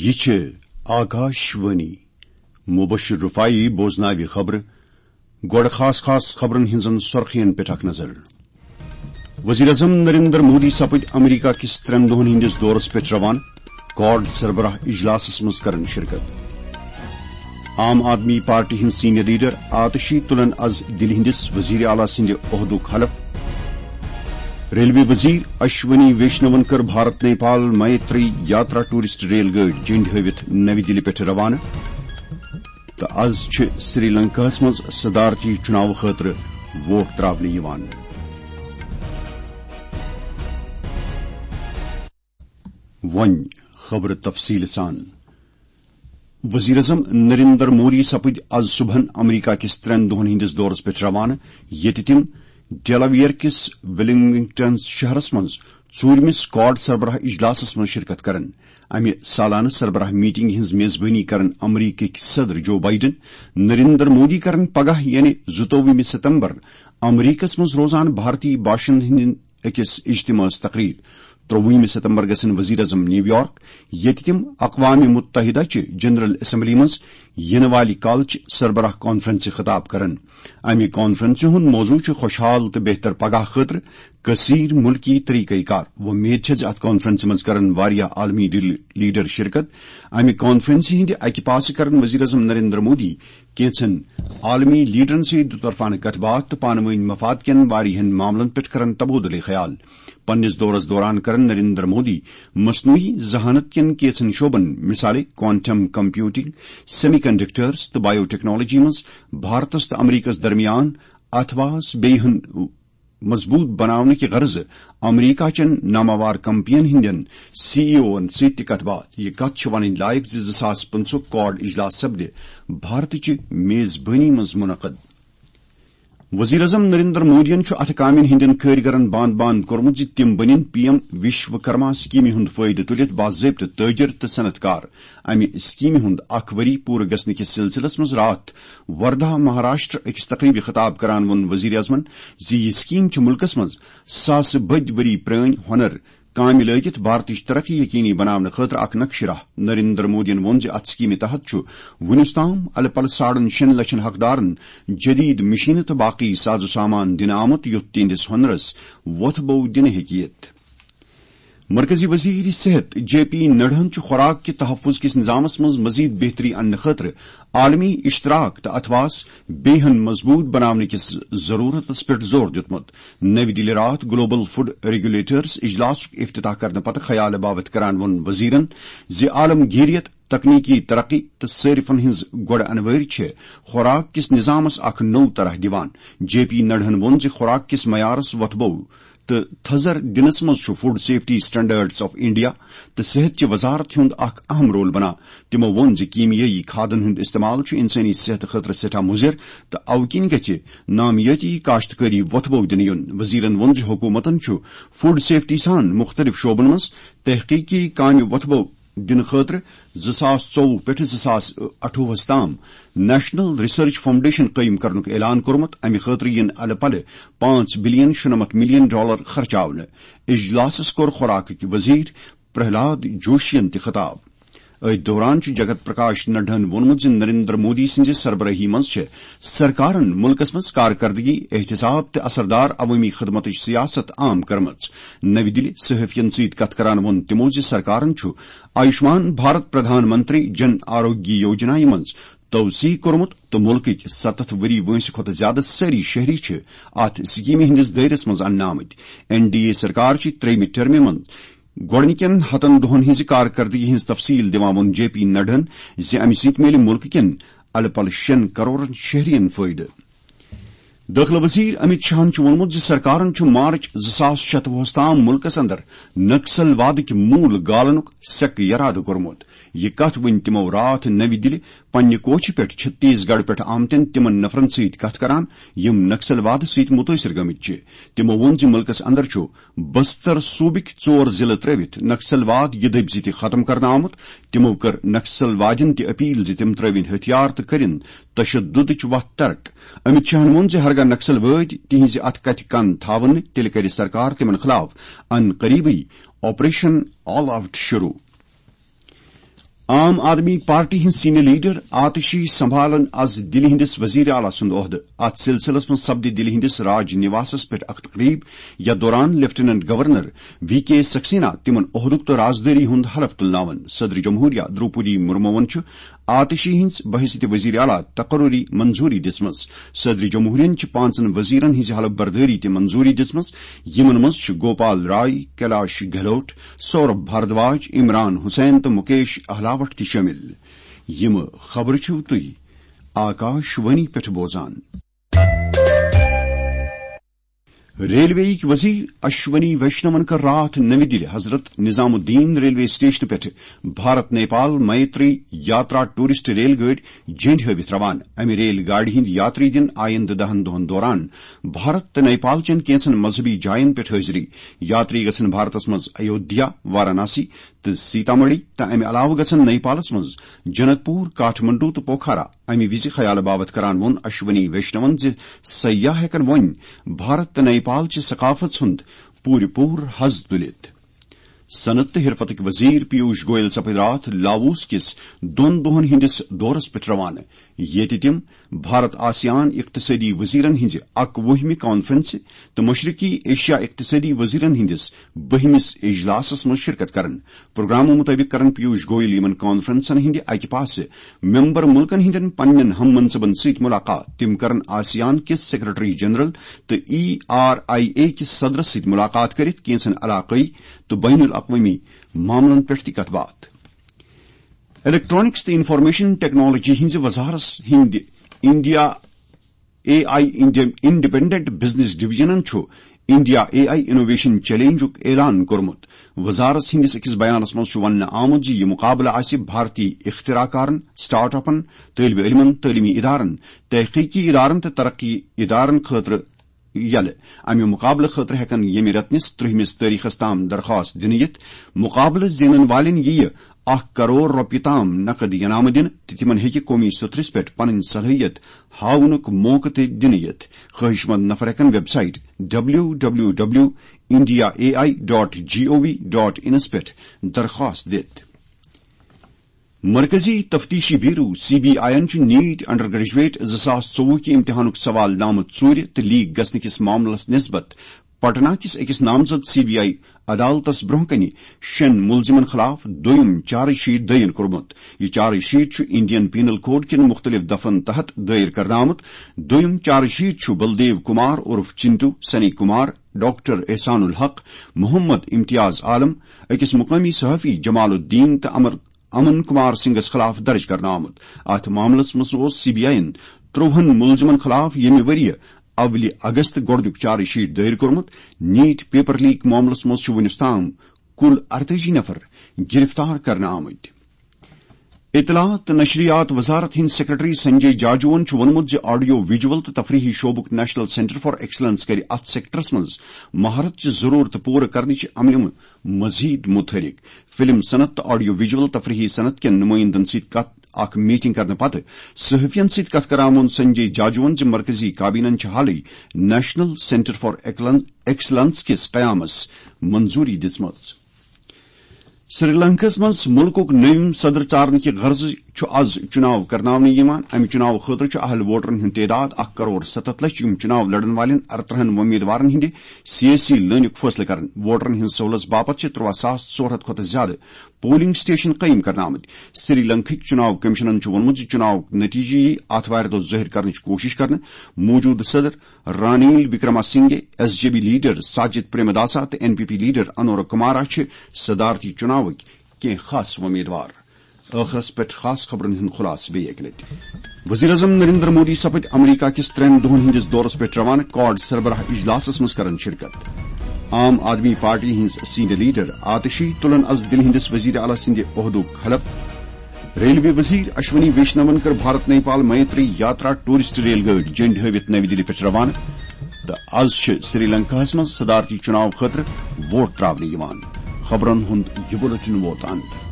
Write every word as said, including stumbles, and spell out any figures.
یہِ چھِ آکاش وانی۔ مبشر رفاعی بوزناوِ خبرٕ۔ گۄڈٕ خاص خاص خبرن ہٕنٛزن سرخین پٮ۪ٹھ اکھ نظر۔ وزیر اعظم نریندر مودی سپٕدۍ امریکہ کِس ترٛٮ۪ن دۄہن ہٕنٛدِس دورس پٮ۪ٹھ روانہٕ۔ کواڈ سربراہ اجلاسس منٛز کرن شرکت۔ عام آدمی پارٹی ہٕنٛدۍ سینئر لیڈر آتشی تُلن از دِلہِ ہٕنٛدِس وزیر اعلیٰ سٕنٛدِ عہدُک حلف۔ ریلوے وزیر اشونی ویشنون کٔر بھارت نیپال میتری یاترا ٹورسٹ ریل گٲڑۍ جنڈ ہٲوِتھ نوِ دِلہِ پٮ۪ٹھ روانہٕ۔ تہٕ از چھِ سری لنکاہس منٛز صدارتی چُناو خٲطرٕ ووٹ تراونہٕ یِوان۔ وۄنۍ خبرٕ تفصیٖل سان۔ وزیر اعظم نریندر مودی سپٕدۍ از صبحن امریکہ کِس ترٛٮ۪ن دۄہن ہٕنٛدِس دورس پٮ۪ٹھ روانہٕ، ییٚتہِ تِم ڈیلاویئر کِس ولنگٹن شہرس منٛز ژوٗرمِس کواڈ سربراہ اجلاسس منٛز شرکت کرن۔ امہِ سالانہٕ سربراہ میٹنگ ہٕنٛز میزبٲنی کرن امریکٕکۍ صدر جو بائیڈن۔ نریندر مودی کرن پگاہ، یعنی زٕتووُہمہِ ستمبر، امریکس منٛز روزان بھارتی باشندٕ ہٕنٛدٮ۪ن أکِس اجتماعس تقریر۔ ترٛووُہمہِ ستمبر گژھن وزیر اعظم نیویارک، ییٚتہِ تِم اقوام متحدہ چہِ جنرل اسمبلی منٛز یِنہٕ والہِ کالچہِ سربراہ کانفرنسہِ خطاب کرن۔ امہِ کانفرنسہِ ہُنٛد موضوع چھُ خوشحال تہٕ بہتر پگاہ خٲطرٕ کثیر ملکی طریقہ کار۔ وۄمید چھےٚ زِ اتھ کانفرنسہِ منٛز کرن واریاہ عالمی ڈی-، لیڈر شرکت۔ امہِ کانفرنسہِ ہٕنٛدِ اکہِ پاسہٕ کرن وزیر اعظم نریندر مودی کینژن عالمی لیڈرن سۭتۍ دُطرفانہٕ کتھ باتھ تہٕ پانہٕ وٲنۍ مفاد کٮ۪ن واریاہن معاملن پٮ۪ٹھ کرن تبادلہ خیال۔ پننِس دورس دوران کرن نریندر مودی مصنوعی ذہانت کٮ۪ن کینژن شعبن، مثالے کوانٹم کمپیوٹنگ، سیمی کنڈکٹرز تہٕ بایو ٹیکنالوجی منٛز بھارتس تہٕ امریکس درمیان اتھواس بیٚیہِ ہن مضبوط بناونہٕ کہِ غرضہٕ امریکہ چٮ۪ن ناماوار کمپنین ہٕنٛدٮ۪ن سی ای اوون سۭتۍ تہِ کتھ باتھ۔ یہِ کتھ چھِ ونٕنۍ لایق زِ زٕ ساس پٕنٛژٕہ کواڈ اجلاس سپدِ بھارتٕچہِ میزبٲنی منٛز منعقد۔ وزیر اعظم نریندر مودیَن چھُ اتھٕ کامٮ۪ن ہٕنٛدٮ۪ن کٲرۍگرن باند باند کوٚرمُت زِ تِم بٔنِن پی ایم وشوکرما سکیمہِ ہُنٛد فٲیدٕ تُلِتھ باضٲبطہٕ تٲجر تہٕ صنعت کار۔ امہِ سکیمہِ ہُنٛد اکھ ؤری پوٗرٕ گژھنہٕ کِس سلسلس منٛز راتھ وردھا مہاراشٹر أکِس تقریبہِ خطاب کران ووٚن وزیر اعظمن زِ یہِ سکیٖم چھِ مُلکس منٛز ساسہٕ بٔدۍ ؤری پرٲنۍ ہۄنر کامہِ لٲگِتھ بھارتٕچ ترقی یقینی بناونہٕ خٲطرٕ اکھ نقشہٕ راہ۔ نریندر مودیَن ووٚن زِ اتھ سکیمہِ تحت چھُ وُنیُس تام الہٕ پلہٕ ساڑن شیٚن لچھن حقدارن جدید مشینہٕ تہٕ باقی ساز و سامان دِنہٕ آمُت، یُتھ تِہنٛدِس ہۄنرس وۄتھ بو دِنہٕ ہیٚکہِ یِتھ۔ مرکزی وزیر صحت جے پی نڈاہن چھُ خوراک کہِ تحفظ کِس نظامس منٛز مزید بہتری اننہٕ خٲطرٕ عالمی اشتراک تہٕ اتھواس بیٚیہِ ہن مضبوط بناونہٕ کِس ضرورتس پٮ۪ٹھ زور دیُتمُت۔ نوِ دِلہِ راتھ گلوبل فوڈ ریگولیٹرز اجلاسُک افتتاح کرنہٕ پتہٕ خیال باوت کران ووٚن وزیرن زِ عالمگیریت، تکنیکی ترقی تہٕ صارفن ہٕنٛز گۄڈٕ انوٲرۍ چھِ خوراک کِس نظامس اکھ نوٚو طرح دِوان۔ جے پی نڈاہن ووٚن زِ خوراک کِس معیارس وۄتھبو تہٕ تھزر دِنس منٛز چھُ food safety standards of India تہٕ صحت چہِ وزارت ہُنٛد اکھ اہم رول بنان۔ تِمو ووٚن زِ کیمیٲیی کھادن ہُنٛد استعمال چھُ انسٲنی صحتہٕ خٲطرٕ سٮ۪ٹھاہ مُضر تہٕ اوٕ کِنۍ گژھِ نامیٲتی کاشتکٲری وۄتھبو دِنہٕ یُن۔ وزیرن ووٚن زِ حکوٗمتن چھُ فوڈ سیفٹی سان مُختٔلِف شعبن منٛز تحقیقی کامہِ وۄتھبو دِنہٕ خٲطرٕ زٕ ساس ژوٚوُہ پٮ۪ٹھٕ زٕ ساس اَٹھووُہس تام نیشنل ریسرچ فاؤنڈیشن قٲیِم کرنُک اعلان کوٚرمُت۔ امہِ خٲطرٕ یِن الہٕ پلہٕ پانٛژھ بلین شُنَمَتھ ملین ڈالر خرچاونہٕ۔ اجلاسس کوٚر خوراکٕکۍ وزیر پرہلاد جوشین تہِ خطاب۔ أتھۍ دوران چھُ جگت پرکاش نڈاہن ووٚنمُت زِ نریندر مودی سٕنٛزِ سربرٲہی منٛز چھِ سرکارن مُلکس منٛز کارکردگی، احتساب تہٕ اثردار عوٲمی خدمتٕچ سیاست عام کٔرمٕژ۔ نوِ دِلہِ صحافین سۭتۍ کتھ کران ووٚن تِمو زِ سرکارن چھُ آیوشمان بھارت پردھان منتری جن آروگیہ یوجنا منٛز توسیع کوٚرمُت تہٕ مُلکٕکۍ ستتھ ؤری وٲنٛسہِ کھۄتہٕ زِیٛادٕ سٲری شہری چھِ اتھ سکیمہِ ہٕنٛدِس دٲیرس منٛز اننہٕ آمٕتۍ۔ این ڈی اے سرکار چھِ ترٛیٚیمہِ ٹرمہِ منٛز گۄڈٕنِکٮ۪ن ہتن دۄہن ہٕنٛزِ کارکردگی ہٕنٛز تفصیل دِوان ووٚن جے پی نڈاہن زِ امہِ سۭتۍ میلہِ مُلکہٕ کٮ۪ن الہٕ پلہٕ شیٚن کرورن شہرین فٲیدٕ۔ دٲخلہٕ وزیر امت شاہن چھُ ووٚنمُت زِ سرکارن چھُ مارچ زٕ ساس شتوُہس تام مُلکس اندر نکسل وادٕکۍ موٗل گالنُک سیٚکھ یرادٕ کوٚرمُت۔ یہِ کتھ ؤنۍ تِمو راتھ نوِ دِلہِ پننہِ کوچھِ پٮ۪ٹھ چھتیس گڑھ پٮ۪ٹھ آمتٮ۪ن تِمن نفرن سۭتۍ کتھ کران، یِم نکسل وادٕ سۭتۍ مُتٲثر گٔمٕتۍ چھِ۔ تِمو ووٚن زِ مُلکس اندر چھُ بستر صوبٕکۍ ژور ضلعہٕ ترٲوِتھ نکسل واد یہِ دٔبۍ سۭتۍ ختم کرنہٕ آمُت۔ تِمو کٔر نکسل وادین تہِ اپیل زِ تِم ترٲوِن ہتھیار تہٕ کٔرِن تشددٕچ وتھ ترک۔ امت شاہن ووٚن زِ ہرگاہ نکسل وٲدۍ تِہنزِ اتھ کتھِ کن تھاون نہٕ، تیٚلہِ کرِ سرکار تِمن خلاف ان قریبٕے آپریشن آل آؤٹ شروع۔ عام آدمی پارٹی ہٕنٛز سینئر لیڈر آتشی سنبھالن از دِلہِ ہٕنٛدِس وزیر اعلیٰ سُنٛد عہدٕ۔ اتھ سلسلس منٛز سپدِ دِلہِ ہٕنٛدِس راج نِواسس پٮ۪ٹھ اکھ تقریب، یتھ دوران لیفٹیننٹ گورنر وی کے سکسینا تِمن عہدُک تہٕ رازدٲری ہُنٛد حلف تُلناون۔ صدر جمہوریہ دروپدی مرموون چھُ آتشی ہٕنٛز بحیثیت وزیر اعلیٰ تقرری منظوری دِژمٕژ۔ صدر جمہوریہن چھِ پانٛژن وزیرن ہٕنٛزِ حلف بردٲری تہِ منظوری دِژمٕژ، یِمن منٛز چھِ گوپال راے، کیلاش گہلوٹ، سوربھ بھاردواج، عمران حسین تہٕ مکیش اہلاوٹ تہِ شٲمِل۔ یِم خبرٕ چھِو تُہۍ آکاش وانی پٮ۪ٹھ بوزان۔ ریلوے یِکۍ وزیر اشونی ویشنون کٔر راتھ نٔوِ دِلہِ حضرت نظام الدین ریلوے سٹیشنہٕ پٮ۪ٹھٕ بھارت نیپال میتری یاترا ٹورسٹ ریل گٲڑۍ جنڈ ہٲوِتھ روانہٕ۔ امہِ ریل گاڑِ ہٕنٛدۍ یاتری دِن آیندٕ دہن دۄہن دوران بھارت تہٕ نیپال چٮ۪ن کینٛژن مذہبی جاین پٮ۪ٹھ حٲضری۔ یاتری گژھن بھارتس منٛز ایودھیا، واراناسی تہٕ سیتامڑھی تہٕ امہِ علاوٕ گژھن نیپالس منٛز جنک پور، کاٹھمنڈو تہٕ پوکھارا۔ امہِ وِزِ خیالہٕ باوتھ کران ووٚن اشونی ویشنون زِ سیاح ہٮ۪کن وۄنۍ بھارت تہٕ نیپال چہِ ثقافت ہُنٛد پوٗرٕ پوٗرٕ حظ تُلِتھ۔ صنعت تہٕ حرفتٕکۍ وزیر پیوش گویل سپٕدۍ راتھ لاووس کِس دۄن دۄہن ہٕنٛدِس دورس پٮ۪ٹھ روانہٕ، ییٚتہِ تِم بھارت آسیان اقتصٲدی وزیرن ہٕنٛزِ اکوُہمہِ کانفرنسہِ تہٕ مشرقی ایشیا اقتصٲدی وزیرن ہٕنٛدِس بٔہمِس اجلاسس منٛز شرکت کرن۔ پروگرامہٕ مُطٲبِق کرن پیوش گویل یِمن کانفرنسن ہٕنٛدِ اکہِ پاسہٕ ممبر مُلکن ہٕنٛدٮ۪ن پننٮ۪ن ہم منصبن سۭتۍ مُلاقات۔ تِم کرن آسیان کِس سیکرٹری جنرل تہٕ ای آر آئی اے کِس صدرس سۭتۍ مُلاقات کٔرِتھ کینٛژن علاقٲیی تہٕ بین الاقوٲمی معاملن پٮ۪ٹھ تہِ کتھ باتھ۔ الیکٹرانکس تہٕ انفارمیشن ٹیکنالوجی ہٕنٛزِ وزارتس ہٕنٛدِ India A I independent business ڈویژنن چھُ انڈیا اے آئی انوویشن چیلنجُک اعلان کوٚرمُت۔ وزارت ہٕنٛدِس أکِس بیانس منٛز چھُ وننہٕ آمُت زِ یہِ مُقابلہٕ آسہِ بھارتی اختراع کارن، سٹارٹ اپن، طٲلبہِ علمن، تعلیمی ادارن، تحقیقی ادارن تہٕ ترقی ادارن خٲطرٕ یلہٕ۔ امہِ مُقابلہٕ خٲطرٕ ہٮ۪کن ییٚمہِ رٮ۪تنِس ترٛہمِس تٲریخس تام درخواست دِنہٕ یِتھ۔ مُقابلہٕ زینن والٮ۪ن یِیہِ اکھ کرور رۄپیہِ تام نقد ینامہٕ دِنہٕ تہٕ تِمن ہیٚکہِ قومی سطحس پٮ۪ٹھ پنٕنۍ صلٲحیت ہاونُک موقعہٕ تہِ دِنہٕ یِتھ۔ خٲہِش مند نفر ہٮ۪کن website W W W India A I dot G O V dot انس پٮ۪ٹھ درخواست دِتھ۔ مرکزی تفتیشی بیورو، سی بی آئی یَن چھُ نیٹ انڈر گریجویٹ زٕ ساس ژوٚوُہ کہِ امتحانُک سوال نامہٕ ژوٗرِ تہٕ لیک گژھنہٕ کِس معاملس نسبت پٹنہ کِس أکِس نامزد سی بی آئی عدالتس برٛونٛہہ کنہِ شٮ۪ن مُلزِمن خٕلاف دوٚیُم چارج شیٹ دٲیِر کوٚرمُت۔ یہِ چارج شیٹ چھُ انڈین پینل کوڈ کٮ۪ن مُختٔلِف دفعن تحت دٲیِر کرنہٕ آمُت۔ دوٚیُم چارج شیٹ چھُ بلدیو کمار عرف چنٹو، سنی کمار، ڈاکٹر احسان الحق، محمد امتیاز عالم، أکِس مقٲمی صحافی جمال الدین تہٕ امر امن کمار سنگھس خلاف درج کرنہٕ آمُت۔ اتھ معاملس منٛز اوس سی بی آئی یَن ترٛوہن مُلزِمن خلاف ییٚمہِ ؤرۍ یہِ اولہِ اگست گۄڈٕنیُک چارج شیٹ دٲیِر کوٚرمُت۔ نیٹ پیپر لیک معاملس منٛز چھُ وُنیُس تام کُل ارتٲجی نفر گرفتار کرنہٕ آمٕتۍ۔ اطلاعات تہٕ نشریات وزارت ہٕنٛدۍ سیکرٹری سنجے جاجوَن چھُ ووٚنمُت زِ آڈیو ویجول تہٕ تفریحی شعبُک نیشنل سینٹر فار ایکسلنس کرِ اتھ سیکٹرس منٛز مہارت چہِ ضرورتہٕ پوٗرٕ کرنٕچہِ عملہِ مزید متحرک۔ فلم صنعت تہٕ آڈیو ویجول تفریحی صنعت کٮ۪ن نمائندن سۭتۍ کتھ، اکھ میٹنگ کرنہٕ پتہٕ صحافین سۭتۍ کتھ کران ووٚن سنجے جاجوَن زِ مرکزی کابینہن چھِ حالٕے نیشنل سینٹر فار ایکلن-، ایکسلنس کِس قیامس منظوری دِژمٕژ۔ سری لنکاہس منٛز مُلکُک نٔوِم صدر ژارنہٕ کہِ غرضہٕ چھُ از چُناو کرناونہٕ یِوان۔ امہِ چُناو خٲطرٕ چھُ اہل ووٹرن ہُنٛد تعداد اکھ کرور ستتھ لچھ، یِم چُناو لڑن والٮ۪ن ارترٕہن وۄمیدوارن ہٕنٛدِ سیٲسی لٲنُک فٲصلہٕ کرن۔ ووٹرن ہٕنٛز سہولت باپتھ چھِ ترٛواہ ساس ژور ہتھ کھۄتہٕ زیادٕ پولنگ سٹیشن قٲیِم کرنہٕ آمٕتۍ۔ سری لنکاہٕکۍ چُناو کمیشنن چھُ ووٚنمُت زِ چُناوُک نتیجہٕ یِیہِ آتھوارِ دۄہ ظٲہِر کرنٕچ کوٗشش کرنہٕ۔ موٗجوٗدٕ صدر Ranil Wickremesinghe, S J B leader Sajith Premadasa تہٕ N P P leader Anura Kumara چھِ صدارتی چُناوٕکۍ کینٛہہ خاص وۄمیدوار۔ ٲخرس پٮ۪ٹھ خاص خبرن ہُنٛد خلاصہٕ بیٚیہِ اکہِ لٹہِ۔ وزیر اعظم نریندر مودی سپٕدۍ امریکہ کِس ترٛٮ۪ن دۄہن ہٕنٛدِس دورس پٮ۪ٹھ روانہٕ، کواڈ سربراہ اجلاسس منٛز کرن شرکت۔ عام آدمی پارٹی ہٕنٛز سینئر لیڈر آتشی تُلن از دِلہِ ہٕنٛدِس وزیر اعلیٰ سٕنٛدِ عہدُک حلف۔ ریلوے وزیر اشونی ویشنون کٔر بھارت نیپال میتری یاترا ٹورسٹ ریل گٲڑۍ جنڈ ہٲوِتھ نَوِ دِلہِ پٮ۪ٹھ روانہٕ۔ تہٕ از چھِ سری لنکاہس منٛز صدارتی چُناو خٲطرٕ ووٹ تراونہٕ یِوان۔ خبرن ہُنٛد یہِ بُلٹن ووت اند۔